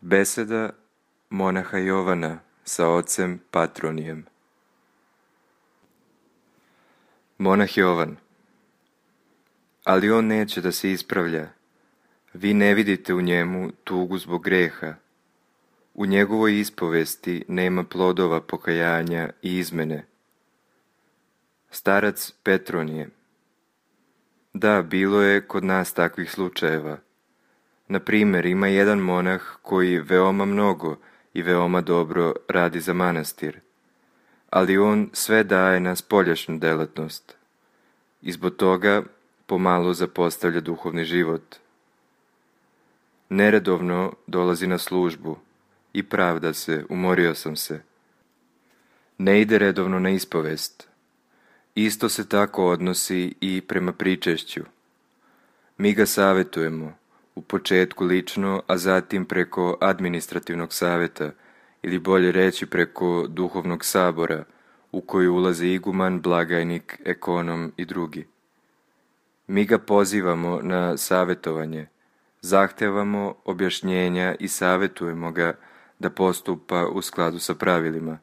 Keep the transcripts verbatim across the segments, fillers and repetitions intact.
Beseda monaha Jovana sa ocem Patronijem. Monah Jovan. Ali on neće da se ispravlja. Vi ne vidite u njemu tugu zbog greha. U njegovoj ispovesti nema plodova pokajanja i izmene. Starac Petronije. Da, bilo je kod nas takvih slučajeva. Na primjer, ima jedan monah koji veoma mnogo i veoma dobro radi za manastir, ali on sve daje na spoljašnju delatnost i zbog toga pomalo zapostavlja duhovni život. Neredovno dolazi na službu i pravda se, umorio sam se. Ne ide redovno na ispovest. Isto se tako odnosi i prema pričešću. Mi ga savjetujemo, u početku lično, a zatim preko administrativnog savjeta, ili bolje reći preko duhovnog sabora, u koji ulaze iguman, blagajnik, ekonom i drugi. Mi ga pozivamo na savjetovanje, zahtevamo objašnjenja i savjetujemo ga da postupa u skladu sa pravilima.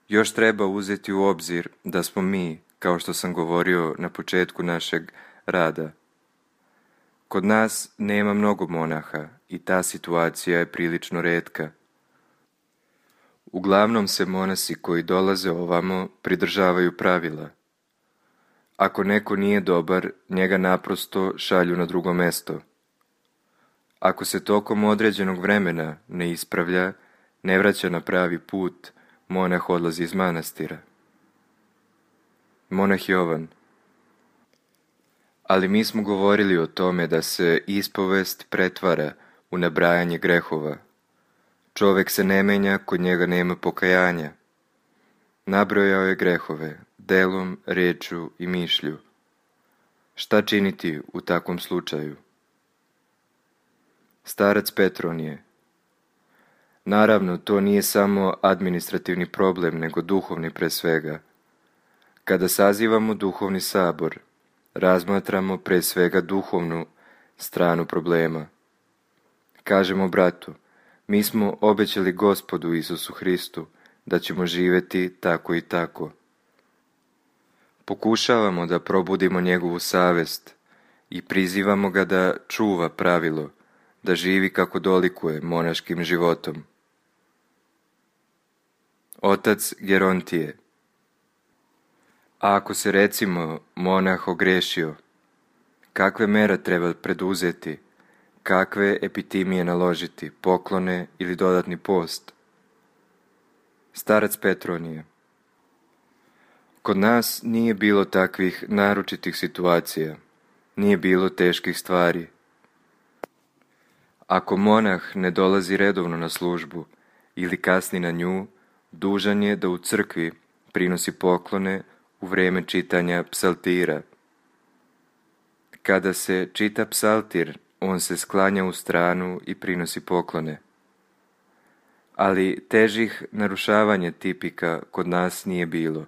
Još treba uzeti u obzir da smo mi, kao što sam govorio na početku našeg rada, kod nas nema mnogo monaha i ta situacija je prilično retka. Uglavnom se monasi koji dolaze ovamo pridržavaju pravila. Ako neko nije dobar, njega naprosto šalju na drugo mesto. Ako se tokom određenog vremena ne ispravlja, ne vraća na pravi put, monah odlazi iz manastira. Monah Jovan. Ali mi smo govorili o tome da se ispovest pretvara u nabrajanje grehova. Čovjek se ne menja, kod njega nema pokajanja. Nabrojao je grehove, delom, rečju i mišlju. Šta činiti u takvom slučaju? Starac Petronije. Naravno, to nije samo administrativni problem, nego duhovni pre svega. Kada sazivamo duhovni sabor, razmatramo pre svega duhovnu stranu problema. Kažemo bratu, mi smo obećali Gospodu Isusu Hristu da ćemo živjeti tako i tako. Pokušavamo da probudimo njegovu savest i prizivamo ga da čuva pravilo, da živi kako dolikuje monaškim životom. Otac Gerontije. A ako se recimo monah ogrešio, kakve mere treba preduzeti, kakve epitimije naložiti, poklone ili dodatni post? Starac Petronije. Kod nas nije bilo takvih naročitih situacija, nije bilo teških stvari. Ako monah ne dolazi redovno na službu ili kasni na nju, dužan je da u crkvi prinosi poklone u vrijeme čitanja psaltira. Kada se čita psaltir, on se sklanja u stranu i prinosi poklone. Ali težih narušavanja tipika kod nas nije bilo.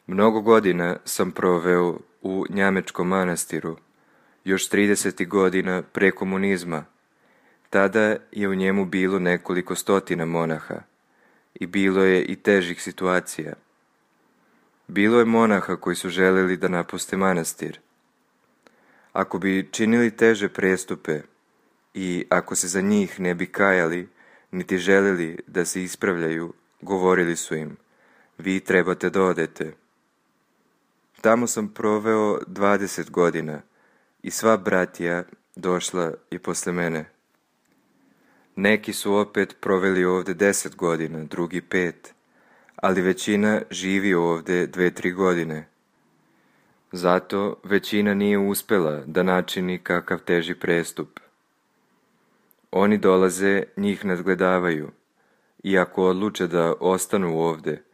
Mnogo godina sam proveo u Njamečkom manastiru, još trideset godina pre komunizma. Tada je u njemu bilo nekoliko stotina monaha i bilo je i težih situacija. Bilo je monaha koji su željeli da napuste manastir. Ako bi činili teže prestupe i ako se za njih ne bi kajali, niti željeli da se ispravljaju, govorili su im, vi trebate da odete. Tamo sam proveo dvadeset godina i sva bratija došla i posle mene. Neki su opet proveli ovdje deset godina, drugi pet, ali većina živi ovdje dve, tri godine. Zato većina nije uspjela da načini kakav teži prestup. Oni dolaze, njih nadgledavaju i ako odluče da ostanu ovdje,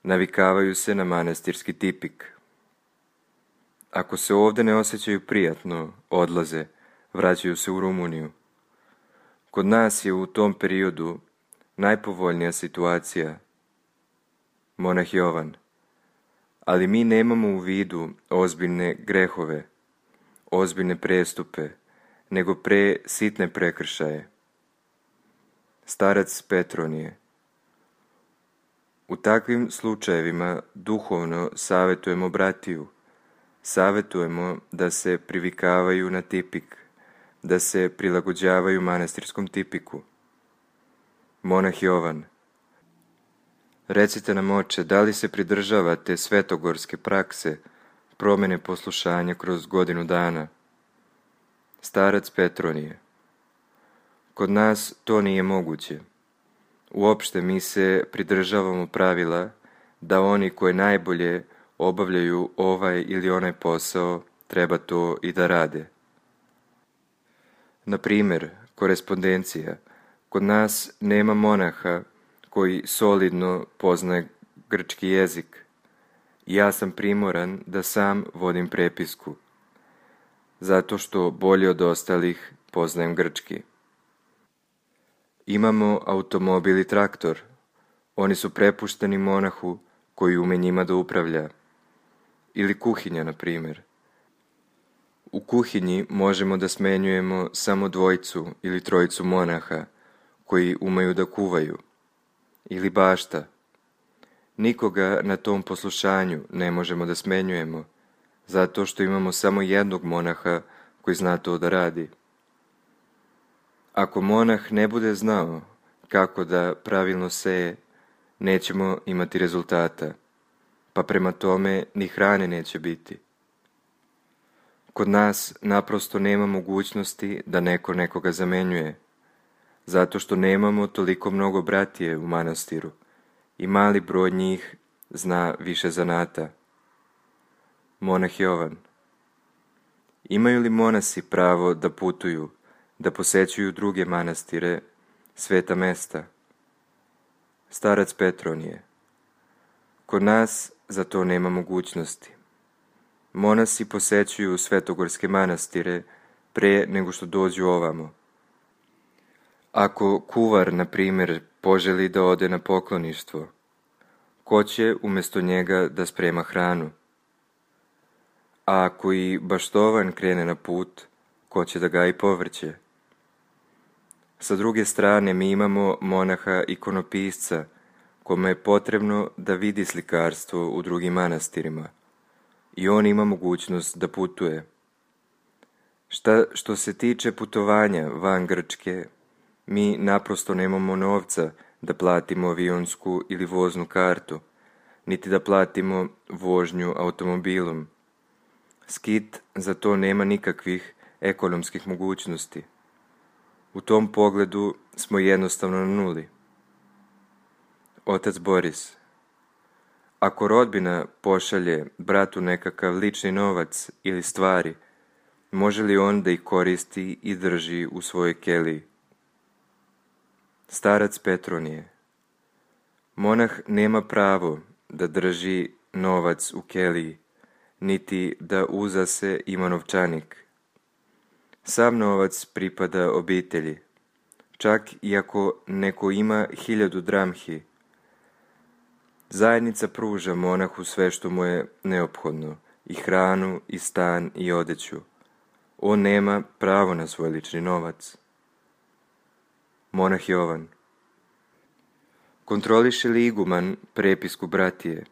navikavaju se na manastirski tipik. Ako se ovdje ne osjećaju prijatno, odlaze, vraćaju se u Rumuniju. Kod nas je u tom periodu najpovoljnija situacija. Monah Jovan. Ali mi nemamo u vidu ozbiljne grehove, ozbiljne prestupe, nego pre sitne prekršaje. Starac Petronije. U takvim slučajevima duhovno savjetujemo bratiju, savjetujemo da se privikavaju na tipik, da se prilagođavaju manastirskom tipiku. Monah Jovan. Recite nam, oče, da li se pridržavate svetogorske prakse, promjene poslušanja kroz godinu dana? Starac Petronije. Kod nas to nije moguće. Uopšte mi se pridržavamo pravila da oni koji najbolje obavljaju ovaj ili onaj posao treba to i da rade. Na primjer, korespondencija. Kod nas nema monaha koji solidno poznaje grčki jezik. Ja sam primoran da sam vodim prepisku, zato što bolje od ostalih poznajem grčki. Imamo automobil i traktor. Oni su prepušteni monahu koji ume njima da upravlja. Ili kuhinja, na primjer. U kuhinji možemo da smenjujemo samo dvojicu ili trojicu monaha koji umeju da kuvaju. Ili bašta. Nikoga na tom poslušanju ne možemo da smenjujemo, zato što imamo samo jednog monaha koji zna to da radi. Ako monah ne bude znao kako da pravilno seje, nećemo imati rezultata, pa prema tome ni hrane neće biti. Kod nas naprosto nema mogućnosti da neko nekoga zamenjuje, zato što nemamo toliko mnogo bratije u manastiru i mali broj njih zna više zanata. Monah Jovan. Imaju li monasi pravo da putuju, da posećuju druge manastire, sveta mesta? Starac Petronije. Kod nas za to nema mogućnosti. Monasi posećuju svetogorske manastire pre nego što dođu ovamo. Ako kuvar, na primjer, poželi da ode na pokloništvo, ko će umjesto njega da sprema hranu? A ako i baštovan krene na put, ko će da gaji povrće? Sa druge strane, mi imamo monaha ikonopisca, kome je potrebno da vidi slikarstvo u drugim manastirima, i on ima mogućnost da putuje. Šta što se tiče putovanja van Grčke, mi naprosto nemamo novca da platimo avionsku ili voznu kartu, niti da platimo vožnju automobilom. Skit za to nema nikakvih ekonomskih mogućnosti. U tom pogledu smo jednostavno na nuli. Otac Boris. Ako rodbina pošalje bratu nekakav lični novac ili stvari, može li on da ih koristi i drži u svojoj keliji? Starac Petronije. Monah nema pravo da drži novac u keliji, niti da uza se ima novčanik. Sav novac pripada obitelji, čak i ako neko ima hiljadu dramhi. Zajednica pruža monahu sve što mu je neophodno, i hranu, i stan, i odeću. On nema pravo na svoj lični novac. Monah Jovan. Kontroliše li iguman prepisku bratije?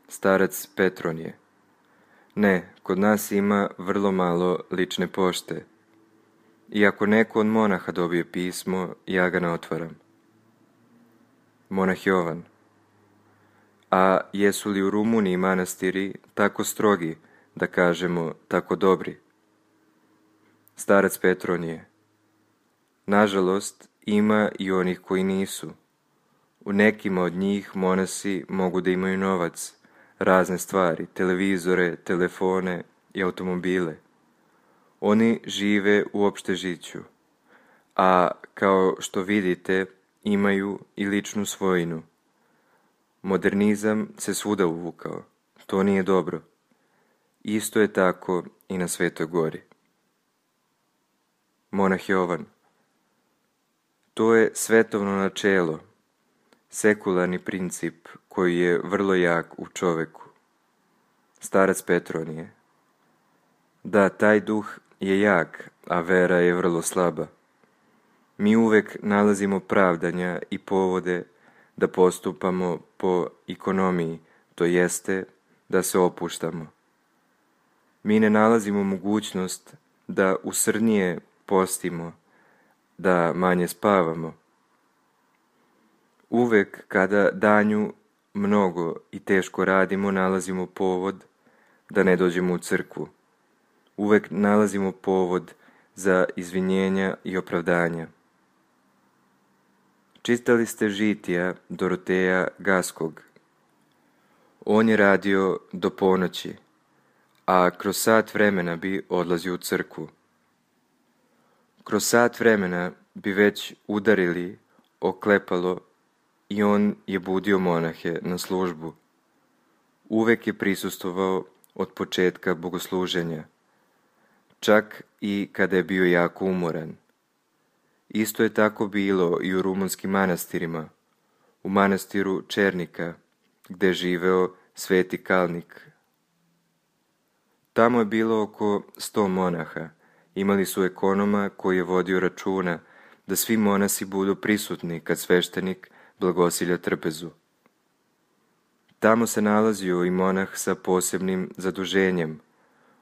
Starac Petronije. Ne, kod nas ima vrlo malo lične pošte. I ako neko od monaha dobije pismo, ja ga ne otvaram. Monah Jovan. A jesu li u Rumuniji manastiri tako strogi, da kažemo tako dobri? Starac Petronije. Nažalost, ima i onih koji nisu. U nekima od njih monasi mogu da imaju novac, razne stvari, televizore, telefone i automobile. Oni žive u opštežiću, a kao što vidite imaju i ličnu svojinu. Modernizam se svuda uvukao. To nije dobro. Isto je tako i na Svetoj gori. Monah Jovan. To je svetovno načelo, sekularni princip koji je vrlo jak u čoveku. Starac Petronije. Da, taj duh je jak, a vera je vrlo slaba. Mi uvek nalazimo pravdanja i povode da postupamo po ekonomiji, to jeste da se opuštamo. Mi ne nalazimo mogućnost da usrdnije postimo, da manje spavamo. Uvek kada danju mnogo i teško radimo, nalazimo povod da ne dođemo u crkvu. Uvek nalazimo povod za izvinjenja i opravdanja. Čitali ste žitija Doroteja Gaskog. On je radio do ponoći, a kroz sat vremena bi odlazio u crkvu. Kroz sat vremena bi već udarili oklepalo i on je budio monahe na službu. Uvek je prisustvovao od početka bogosluženja, čak i kada je bio jako umoran. Isto je tako bilo i u rumunskim manastirima, u manastiru Černika, gde je živeo Sveti Kalnik. Tamo je bilo oko sto monaha. Imali su ekonoma koji je vodio računa da svi monasi budu prisutni kad sveštenik blagosilja trpezu. Tamo se nalazio i monah sa posebnim zaduženjem.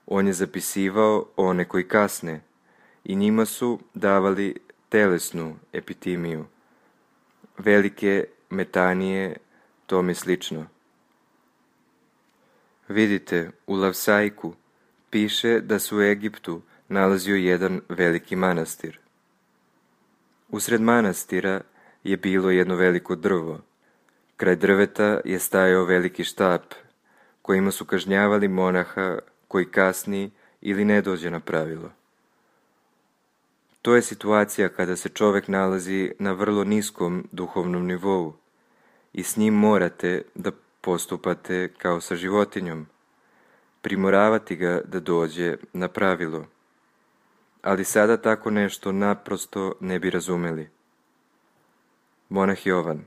On je zapisivao one koji kasne i njima su davali telesnu epitimiju, velike metanije, tome slično. Vidite, u Lavsajku piše da se u Egiptu nalazio jedan veliki manastir. Usred manastira je bilo jedno veliko drvo. Kraj drveta je stajao veliki štap, kojima su kažnjavali monaha koji kasni ili ne dođe na pravilo. To je situacija kada se čovek nalazi na vrlo niskom duhovnom nivou i s njim morate da postupate kao sa životinjom, primoravati ga da dođe na pravilo. Ali sada tako nešto naprosto ne bi razumeli. Monah Jovan.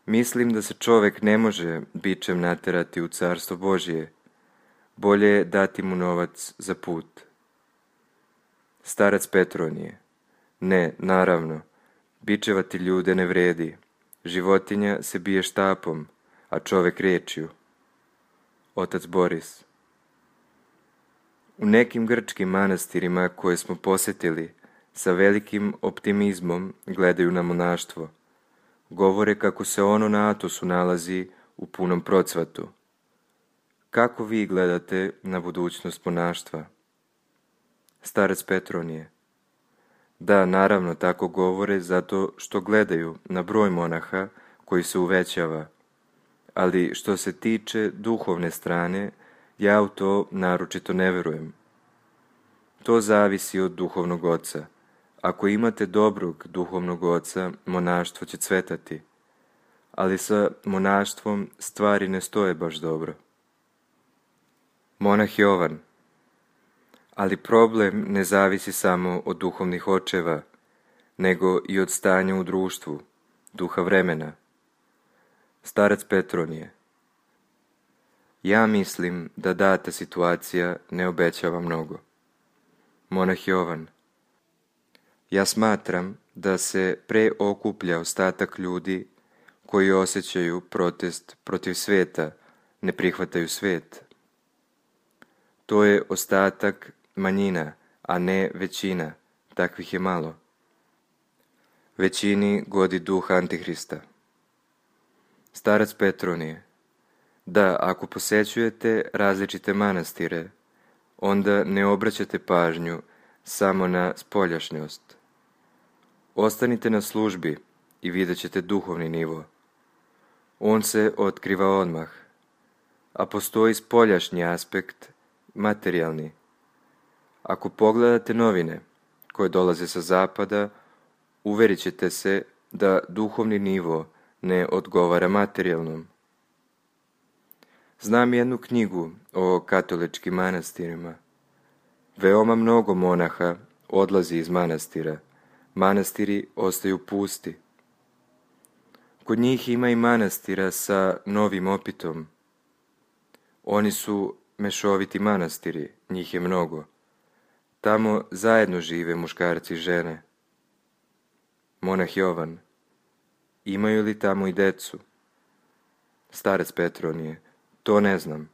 Mislim da se čovek ne može bičem naterati u carstvo Božije. Bolje je dati mu novac za put. Starac Petronije. Ne, naravno, bičevati ljude ne vredi. Životinja se bije štapom, a čovek rečju. Otac Boris. U nekim grčkim manastirima koje smo posetili, sa velikim optimizmom gledaju na monaštvo. Govore kako se ono na Atosu nalazi u punom procvatu. Kako vi gledate na budućnost monaštva? Starac Petronije. Da, naravno, tako govore zato što gledaju na broj monaha koji se uvećava. Ali što se tiče duhovne strane, ja u to naročito ne verujem. To zavisi od duhovnog oca. Ako imate dobrog duhovnog oca, monaštvo će cvetati. Ali sa monaštvom stvari ne stoje baš dobro. Monah Jovan. Ali problem ne zavisi samo od duhovnih očeva, nego i od stanja u društvu, duha vremena. Starac Petronije. Ja mislim da data situacija ne obećava mnogo. Monah Jovan. Ja smatram da se preokuplja ostatak ljudi koji osjećaju protest protiv sveta, ne prihvataju svet. To je ostatak manjina, a ne većina, takvih je malo. Većini godi duh Antihrista. Starac Petronije. Da, ako posećujete različite manastire, onda ne obraćate pažnju samo na spoljašnjost. Ostanite na službi i vidjet ćete duhovni nivo. On se otkriva odmah, a postoji spoljašnji aspekt, materijalni. Ako pogledate novine koje dolaze sa zapada, uverit ćete se da duhovni nivo ne odgovara materijalnom. Znam jednu knjigu o katoličkim manastirima. Veoma mnogo monaha odlazi iz manastira. Manastiri ostaju pusti. Kod njih ima i manastira sa novim opitom. Oni su mešoviti manastiri, njih je mnogo. Tamo zajedno žive muškarci i žene. Monah Jovan. Imaju li tamo i decu? Starac Petronije. To ne znam.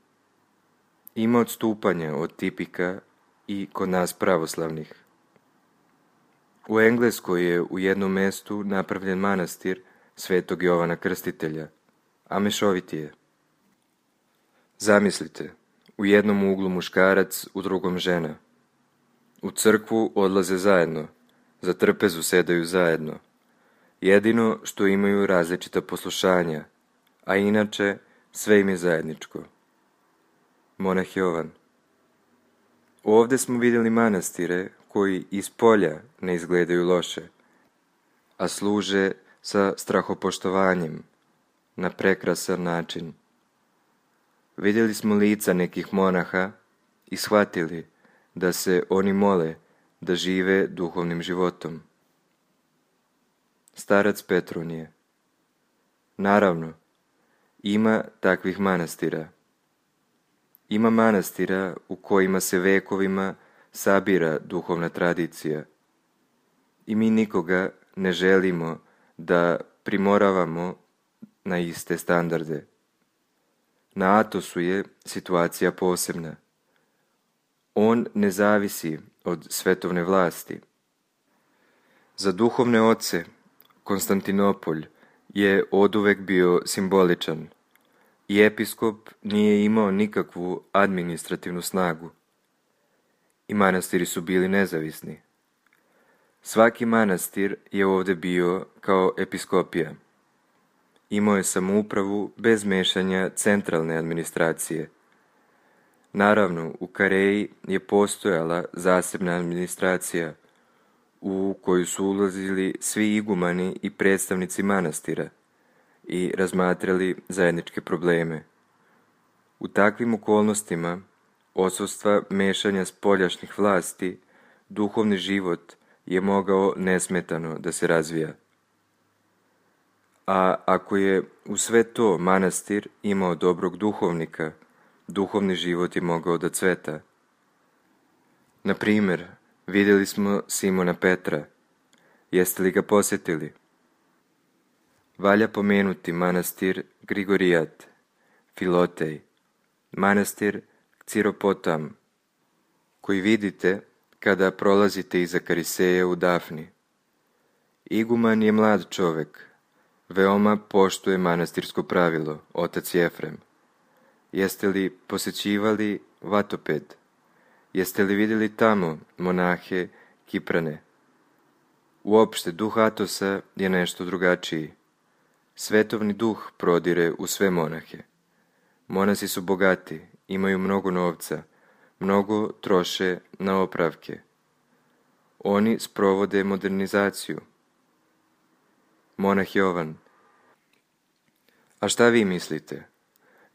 Ima odstupanja od tipika i kod nas pravoslavnih. U Engleskoj je u jednom mjestu napravljen manastir Svetog Jovana Krstitelja, a mešovit je. Zamislite, u jednom uglu muškarac, u drugom žena. U crkvu odlaze zajedno, za trpezu sedaju zajedno. Jedino što imaju različita poslušanja, a inače sve im je zajedničko. Monah Jovan. Ovdje smo vidjeli manastire koji iz polja ne izgledaju loše, a služe sa strahopoštovanjem, na prekrasan način. Vidjeli smo lica nekih monaha i shvatili da se oni mole da žive duhovnim životom. Starac Petronije. Naravno, ima takvih manastira. Ima manastira u kojima se vekovima sabira duhovna tradicija. I mi nikoga ne želimo da primoravamo na iste standarde. Na Atosu je situacija posebna. On ne zavisi od svetovne vlasti. Za duhovne oce Konstantinopolj je oduvek bio simboličan i episkop nije imao nikakvu administrativnu snagu. I manastiri su bili nezavisni. Svaki manastir je ovdje bio kao episkopija. Imao je samoupravu bez mešanja centralne administracije. Naravno, u Kareji je postojala zasebna administracija u koju su ulazili svi igumani i predstavnici manastira i razmatrali zajedničke probleme. U takvim okolnostima odsustva mešanja spoljašnjih vlasti, duhovni život je mogao nesmetano da se razvija. A ako je u sve to manastir imao dobrog duhovnika, duhovni život je mogao da cveta. Na primjer, vidjeli smo Simona Petra. Jeste li ga posjetili? Valja pomenuti manastir Grigorijat, Filotej, manastir Ciropotam, koji vidite kada prolazite iza Kariseja u Dafni. Iguman je mlad čovjek, veoma poštuje manastirsko pravilo, otac Jefrem. Jeste li posjećivali Vatoped? Jeste li vidjeli tamo monahe Kiprane? Uopšte, duh Atosa je nešto drugačiji. Svetovni duh prodire u sve monahe. Monasi su bogati, imaju mnogo novca, mnogo troše na opravke. Oni sprovode modernizaciju. Monah Jovan. A šta vi mislite?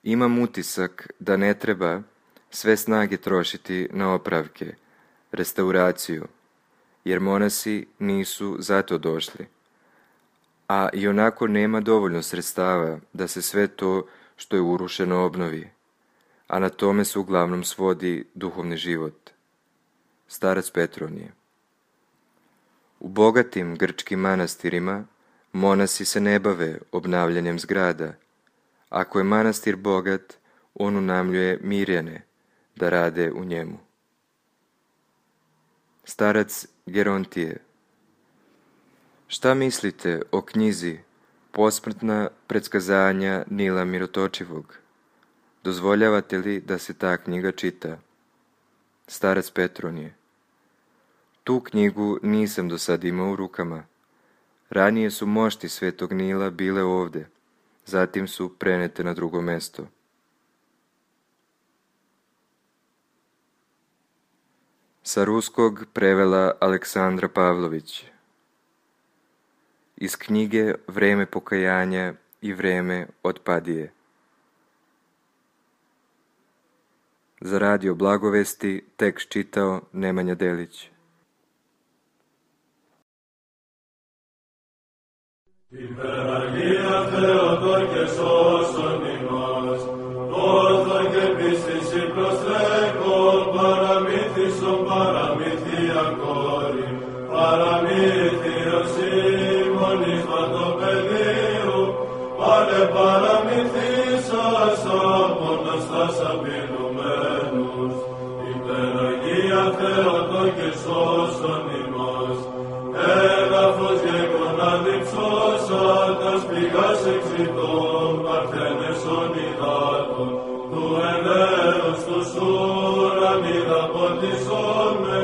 Imam utisak da ne treba sve snage trošiti na opravke, restauraciju, jer monasi nisu zato došli. A i onako nema dovoljno sredstava da se sve to što je urušeno obnovi, a na tome se uglavnom svodi duhovni život. Starac Petronije. U bogatim grčkim manastirima monasi se ne bave obnavljanjem zgrada. Ako je manastir bogat, on unajmljuje Mirjane da rade u njemu. Starac Gerontije. Šta mislite o knjizi Posmrtna predskazanja Nila Mirotočivog? Dozvoljavate li da se ta knjiga čita? Starac Petronije. Tu knjigu nisam do sad imao u rukama. Ranije su mošti Svetog Nila bile ovdje, zatim su prenete na drugo mesto. Sa ruskog prevela Aleksandra Pavlović. Iz knjige Vreme pokajanja i vreme otpadije. Za radio Blagovesti tekst čitao Nemanja Delić. Paramithis, paramithis, κόρη, παραμύθιος ημώνης βατοπεδίου, πάρε παραμυθίσας από νοστάς απειλουμένους, υπεραγία Θεότο και σώσον ημάς, έδαφος γεγονά διψώσατας πηγάς εξητών, παρθένεσον υδάτων, του ελέος τους ουρανίδα ποτισόν με,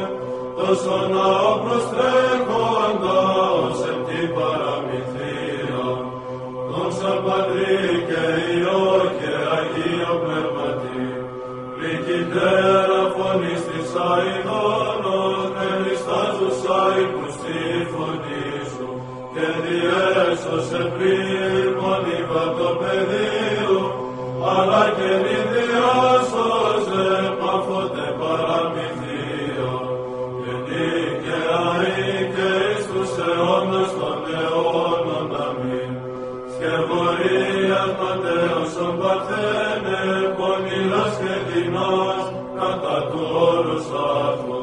τόσο ναό προστρέχοντα ως εν την παραμυθία. Δόξα Πατρί και Υιό και Αγίο Πνεύματι, πληκητέρα φωνής της αηδόνος, με νηστάζουσα ύπους τη φωνή σου, και διέσωσε πρίμον υβατοπεδίου, αλλά και μη διάσωσε παφότε παραμυθία, και δίκαια και εις τους αιώνας των αιώνων. Αμήν. Σκευωρίας Ματέωσον Παρθένε, πονηράς και δεινάς, κατά του όρους άρθρου,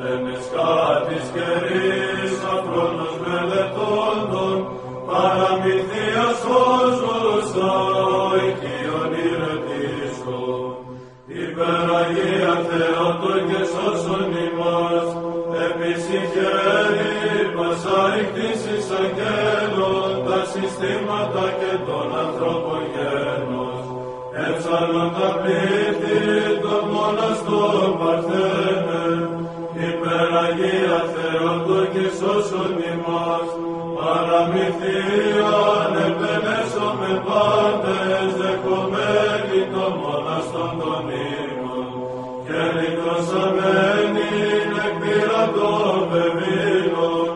εν εσκάτης καιρής, αφρόνος μελετώντων, παραμυθίας σώζουσα, ο οικείον ηρετήσω. Υπεραγία Θεότο και σώσον ημάς, επισυχαίρει πασαρικτήσεις αγγέλων, τα συστήματα και των ανθρώπων γένος, έψαλον τα πλήθη των μοναστών Παρθένε. Υπεραγία Θεότο και σώσον ημάς, παραμυθίαν επενέσομαι πάντες, δεχομένοι των μοναστών των ύμνων, και λυτρωσαμένην εκ πειρατών πεβήλων.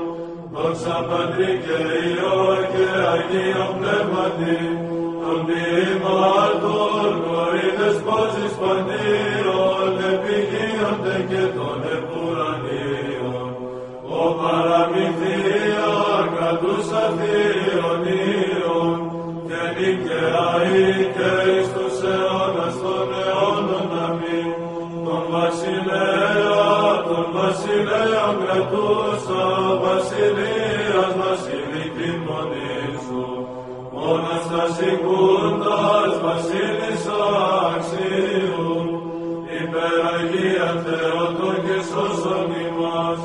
Δόξα Πατρί και Υιό και Αγίο Πνεύματι, των διημάτων κορίδες πόσεις παντίων, επιγείονται και των επουρανίων. Ο παραμυθία κρατούσα θείων ήρων, και νικαιαή και εις τους αιώνας των αιώνων. Αμήν. Τον βασιλέα, τον βασιλέων κρατούσα, βασιλείας βασιλική μονή σου, μόνος τα σηκούντας βασίλισσα αξίου. Υπεραγία Θεότο και σώσον ημάς,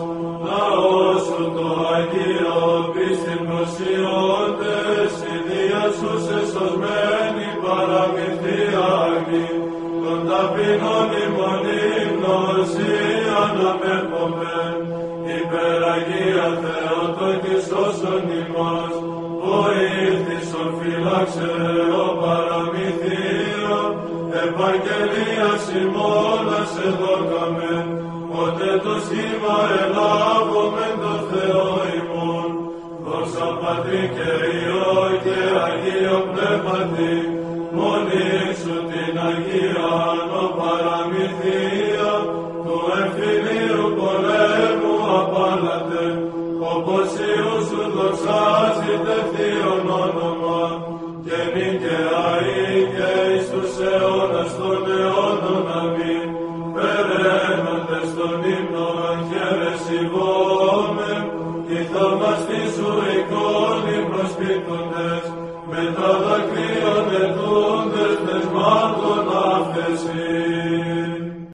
λαός σου το Αγίο, πίστην προσιώντες, η Δία σου σε σωσμένη παραμυθία αγνή, των ταπεινών ημών υμνοσίαν αμέπομεν. Υπεραγία Θεότο και σώσον ημάς, βοήθησον φύλαξε ο παραμυθία, επαγγελίας ημώνας εδώκαμεν, πότε το σχήμα ελάβομεν το Θεό ημών. Δόξα Πατρί και Υιό και Αγίο Πνεύματι, μονή σου την Αγίαν ο παραμυθία, του εμφυλίου πολέμου απάλατε, όπως Υιού σου δοξάζεται θείον όνομα, και νικαιαή και εις τους αιώνας των αιώνων. Αμήν. Περαίνοντες των ύμνων χαιρεσιβόμεν, η θαυμαστή σου εικόνη προσπίπτοντες, με τα δακρύων ετούντες πεσμά